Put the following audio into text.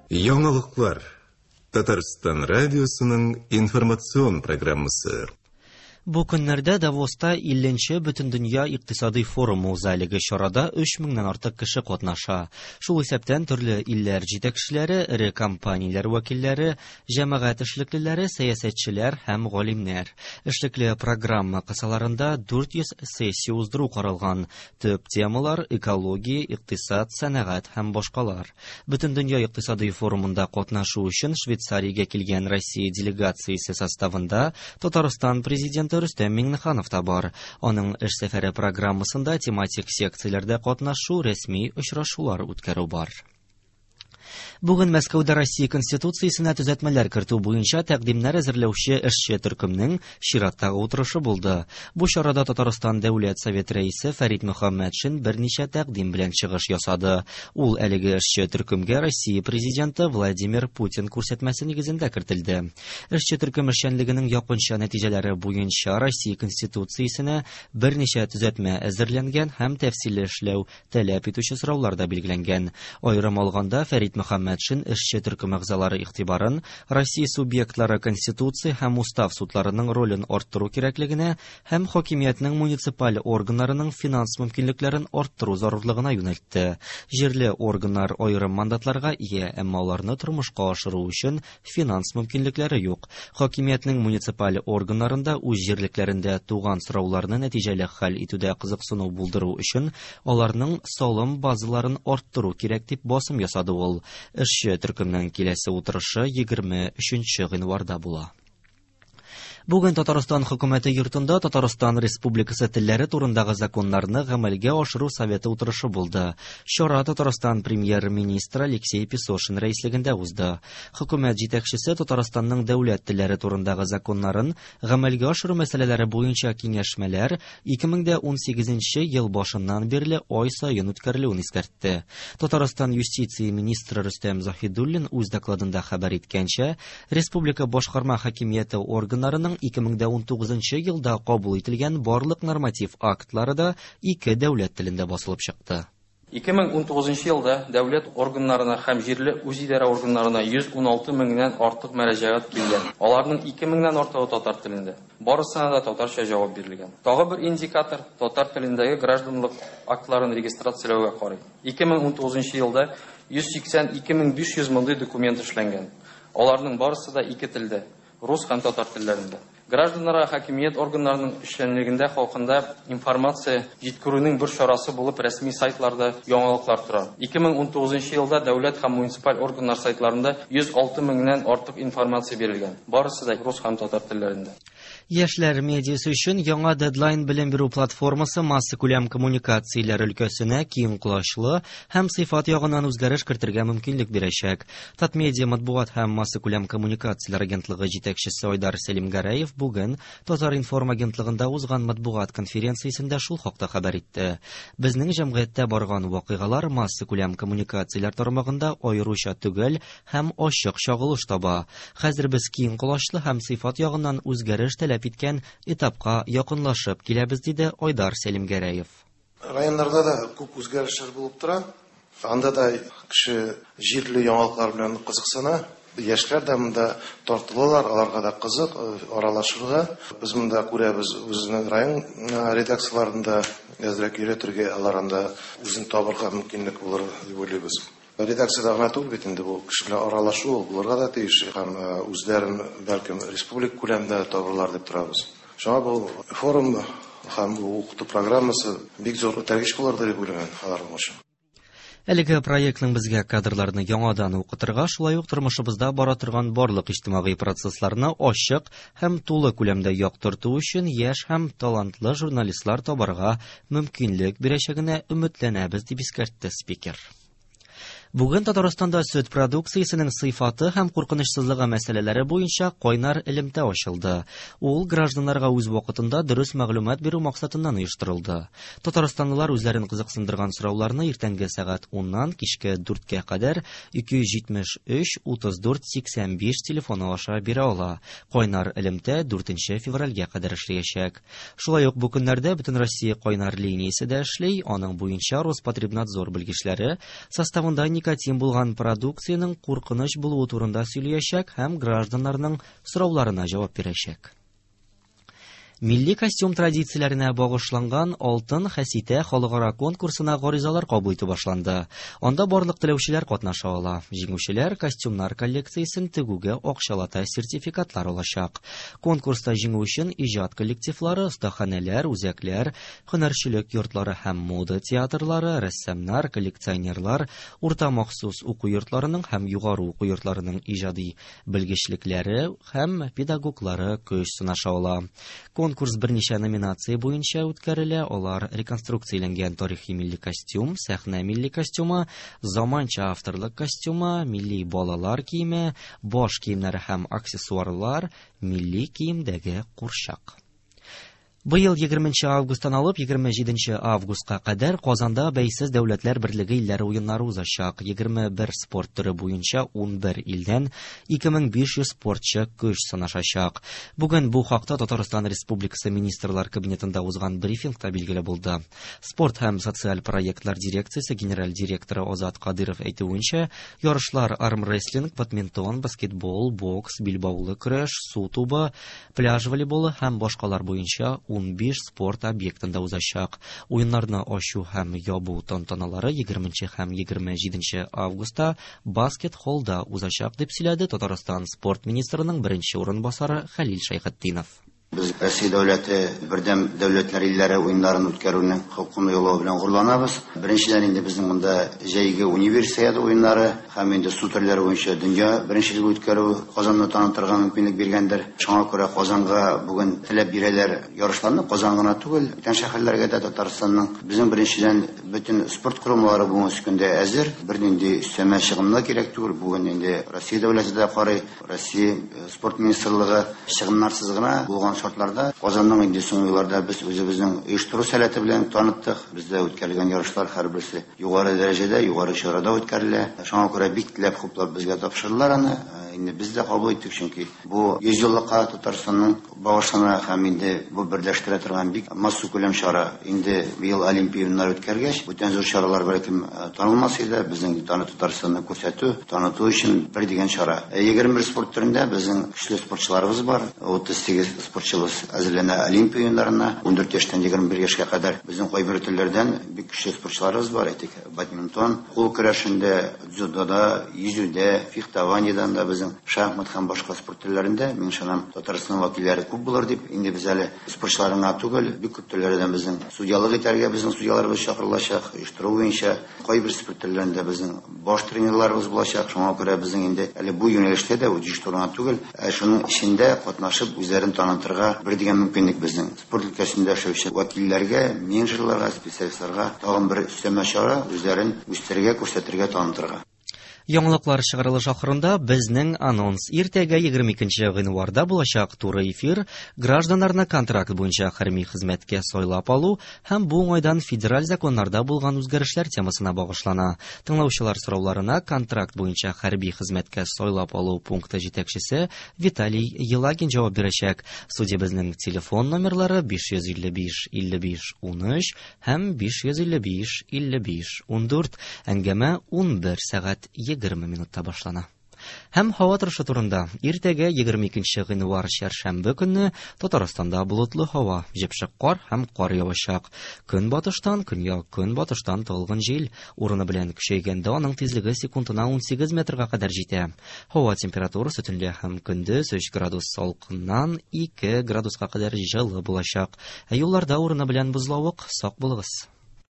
Яңалыклар. Татарстан радиосының информацион программасы. Бу көннәрдә Давоста 50 нче Бөтендөнья икътисадый форумы уза. Әлеге чарада 3 меңнән артык кеше катнаша. Шул исәптән төрле илләр җитәкчеләре, эре компанияләр вәкилләре, җәмәгать эшлеклеләре, сәясәтчеләр һәм галимнәр. Эшлекле программа кысаларында 400 сессия уздыру каралган. Төп темалар, экология, икътисад, сәнәгать һәм башкалар. Бөтендөнья икътисадый форумында катнашу өчен Швейцариягә килгән Россия делегациясе составында Татарстан президенты Рөстәм Миңнеханов та бар. Аның эш сәфәре программасында тематик секцияләрдә катнашу, рәсми очрашулар үткәрү бар. Бүген Мәскәүдә Россия Конституциясенә төзәтмәләр кертү буенча тәкъдимнәр әзерләүче эшче төркемнең чираттагы утырышы булды. Бу чарада Татарстан Дәүләт Советы рәисе Фәрит Мөхәммәтшин берничә тәкъдим белән чыгыш ясады. Ул әлеге эшче төркемгә Россия Президенты Владимир Путин күрсәтмәсе нигезендә кертелде. Эшче төркем эшчәнлегенең якынча нәтиҗәләре буенча Россия Конституциясенә берничә төзәтмә әзерләнгән һәм тәфсилле эшләү таләп итүче сораулар да билгеләнгән. Аерым алганда, Фәрит Мөхәммәтшин эшче төркем әгъзалары игътибарын Россия субъектлары Конституция һәм Устав судларының ролен арттыру кирәклегенә һәм хакимиятнең муниципаль органнарының финанс мөмкинлекләрен арттыру зарурлыгына юнәлтте. Җирле органнар аерым мандатларга ия, әмма аларны тормышка ашыру өчен финанс мөмкинлекләре юк. Хакимиятнең муниципаль органнарында үз җирлекләрендә туган сорауларны нәтиҗәле хәл итүдә кызыксыну булдыру өчен аларның салым базаларын арттыру кирәк дип басым ясады ул. Эшче төркемнең киләсе утырышы 23 гыйнварда була. Бүген Татарстан хөкүмәте йортында Татарстан Республикасы телләре турындагы законнарны гамәлгә ашыру советы утырышы булды. Чара Татарстан премьер-министры Алексей Песошин рәислегендә узды. Хөкүмәт җитәкчесе Татарстанның дәүләт телләре турындагы законнарын гамәлгә ашыру мәсьәләләре буенча киңәшмәләр 2018 ел башыннан бирле ай саен үткәрелүен искәртте. Татарстан юстиция министры Рөстәм Заһидуллин үз докладында хәбәр иткәнчә, республика башкарма хакимияте органнарының 2019 елда кабул ителгән барлык норматив актлары да ике дәүләт телендә басылып чыкты. 2019 елда дәүләт органнарына һәм җирле үзидарә органнарына 116 меңнән артык мөрәҗәгать килгән. Аларның 2 меңнән артыгы татар телендә. Барысына да татарча җавап бирелгән. Тагы бер индикатор татар телендәге гражданлык актларын регистрацияләүгә карый. 2019 елда 182 500 мондый документ эшләнгән. Аларның барысы да ике телдә, рус һәм татар телләрендә. Гражданнарга хакимият органнарының эшчәнлегендә хакында информация җиткерүнең бер чарасы булып рәсми сайтларда яңалыклар тора. 2019 елда дәүләт һәм муниципаль органнар сайтларында 106 меңнән артык информация бирелгән. Барысы да рус һәм татар телләрендә. Яшьләр медиасы өчен яңа Deadline белем бирү платформасы массакүләм коммуникацияләр өлкәсенә киң колачлы һәм сыйфат ягыннан үзгәреш кертергә мөмкинлек бирәчәк. Татмедиа матбугат һәм массакүләм коммуникацияләр агентлыгы җитәкчесе Айдар Сәлимгәрәев бүген Татар-информ агентлыгында узган матбугат конференциясендә шул хакта хәбәр итте. Безнең җәмгыятьтә барган вакыйгалар массакүләм коммуникацияләр тармагында аеруча төгәл һәм ачык чагылыш таба. Хәзер без киң колачлы һәм сыйфат ягыннан үзгәреш таләп иткән этапка якынлашып киләбез, диде Айдар Сәлимгәрәев. Районнарда да күп үзгәрешләр булып тора. Анда да кеше җирле яңалыклар белән кызыксына. Яшьләр дә монда тартылалар, аларга да кызык аралашырга. Без монда күрәбез үзенең район редакцияләрендә әзрәк өйрәтергә, алар анда үзен табырга мөмкинлек булыр дип уйлыйбыз. Редакциядә гына түгел бит инде бу кеше белән аралашу ул булырга да тиеш һәм үзләрен бәлкем республика күләмендә табырлар дип торабыз. Шуңа бу форум һәм бу укыту программасы бик зур этәргеч булыр дип уйлыйм алар өчен. Әлеге проектның безгә кадрларны яңадан укытырга, шулай ук тормышыбызда бара торган барлык иҗтимагый процессларны ачык һәм тулы күләмдә яктырту өчен яшь һәм талантлы журналистлар табарга мөмкинлек бирәчәгенә өметләнәбез, дип искәртте спикер. Бүген Татарстанда сөт продукциясенең сыйфаты һәм куркынычсызлыгы мәсьәләләре буенча кайнар элемтә ачылды. Ул гражданнарга үз вакытында дөрес мәгълүмат бирү максатыннан оештырылды. Татарстанлылар үзләрен кызыксындырган сорауларны иртәнге сәгать 10-нан кичке 4-кә кадәр 273 34 85 телефоны аша бирә ала. Кайнар элемтә 4 февральгә кадәр эшләячәк. Шулай ук бу көннәрдә Бөтенроссия кайнар линиясе дә эшли. Аның буенча Роспотребнадзор белгечләре составында никотин булган продукциянең куркыныч булуы турында сөйләячәк һәм гражданнарның сорауларына җавап бирәчәк. Милли костюм традицияләренә багышланган Алтын хәситә халыкара конкурсына гаризалар кабул итү башланды. Анда барлык теләүчеләр катнаша ала. Җиңүчеләр костюмнар коллекциясен тегүгә акчалата сертификатлар алачак. Конкурста җиңү өчен иҗат коллективлары, остаханәләр, үзәкләр, һөнәрчелек йортлары һәм мода театрлары, рәссамнар, коллекционерлар, урта махсус уку йортларының һәм югары уку йортларының иҗади белгечлекләре һәм педагоглары көч сынаша ала. Конкурс берничә номинация буенча үткәрелә. Алар: реконструкцияләнгән тарихи милли костюм, сәхнә милли костюмы, заманча авторлык костюмы, милли балалар киеме, баш киемнәре һәм аксессуарлар, милли киемдәге курчак. Быел 20 августтан алып 27 августка кадәр Казанда Бәйсез Дәүләтләр Берлеге илләре уеннары узачак. 21 спорт төре буенча 11 илдән 2500 спортчы көч сынашачак. Бүген бу хакта Татарстан Республикасы Министрлар Кабинетында узган брифингта билгеле булды. Спорт һәм социаль проектлар дирекциясе генераль директоры Азат Кадыров әйтүенчә, ярышлар армрестлинг, бадминтон, баскетбол, бокс, билбаулы көрәш, су тубы, пляж волейболы һәм башкалар буенча 15 спорт объектында узачак. Уеннарны ачу һәм ябу тантаналары 20 һәм 27 августта баскет-холлда узачак, дип сөйләде Татарстан спорт министрының беренче урынбасары Хәлил Шәйхетдинов. Без Россия дәүләте бердәм дәүләтләр илләре уеннарын үткәрүнең хокукын юллау белән горурланабыз. Беренчедән, инде безнең монда җәйге универсиада уеннары һәм инде су төрләре буенча дөнья беренчелеге үткәрү Казанны танытырга мөмкинлек биргәндер. Шуңа күрә Казанга бүген теләп бирәләр ярышларны. Казан гына түгел, бүтән шәһәрләргә дә Татарстанның. Безнең беренчедән бөтен спорт корылмалары бүгенге көндә әзер. Бернинди өстәмә чыгымнар кирәк түгел. Бүген инде Россия дәүләте дә карый, Россия спорт министрлыгы чыгымнарсыз гына булган шартларда Казанның инде соңгы елларда без үзебезнең оештыру сәләте белән таныттык. Бездә үткәрелгән ярышлар һәрберсе югары дәрәҗәдә, югары чарада үткәрелә. Шуңа күрә бик теләп хуплап безгә тапшырдылар аны. Инде без дә кабул иттек, чөнки бу 100 еллыкка Татарстанның багышлана һәм инде бу берләштерә торган бик массакүләм чара. Инде быел Олимпия уеннары үткәргәч, бүтән зур чаралар бәлкем танылмас иде. Безнең аны Татарстанны күрсәтү, таныту өчен бер дигән чара. 21 спорт төрендә безнең көчле спортчыларыбыз бар. 38 спортчыбыз әзерләнә Олимпия уеннарына. 14 яшьтән 21 яшькә кадәр безнең кайбер төрләрдән бик көчле спортчыларыбыз бар. Әйтик, бадминтон, кул көрәшендә, дзюдода, йөзүдә, фехтованиедан да, безнең шахмат һәм башка спорт төрләрендә, мин ышанам, Татарстан вәкилләре күп булыр дип. Инде без әле спортчылар гына түгел, бик күп төрләрдән безнең судьялык итәргә безнең судьяларыбыз чакырылачак, оештыру буенча кайбер спорт төрләрендә безнең баш тренерларыбыз булачак. Шуңа күрә безнең инде әле бу юнәлештә дә оештыру гына түгел, ә шуның эчендә катнашып үзләрен танытырга бер дигән мөмкинлек безнең спорт өлкәсендә эшләүче вәкилләргә, менеджерларга, специалистларга тагын бер өстәмә чара үзләрен үстерергә, күрсәтергә, танытырга. Яңалыклар чыгарылыш ахырында безнең анонс. Иртәгә 22 гыйнварда булачак туры эфир гражданнарны контракт буенча хәрби хезмәткә сайлап алу һәм бу уңайдан федераль законнарда булган үзгәрешләр темасына багышлана. Тыңлаучылар сорауларына контракт буенча хәрби хезмәткә сайлап алу пункты җитәкчесе Виталий Елагин җавап бирәчәк. Студиябезнең телефон номерлары 555 55 13 һәм 555 55 14. Әңгәмә 11 сәгать 20 минутта башлана. Һәм һава торышы турында. Иртәгә 22 гыйнвар чәршәмбе көнне Татарстанда болытлы һава, җепшек кар һәм кар явачак. Көнбатыштан, көньяк көнбатыштан талгын җил, урыны белән көчәйгәндә аның тизлеге секундына 18 метрга кадәр җитә. Һава температурасы төнлә һәм көндез 3 градус салкыннан 2 градуска кадәр җылы булачак. Ә юлларда урыны белән бозлавык, сак булыгыз.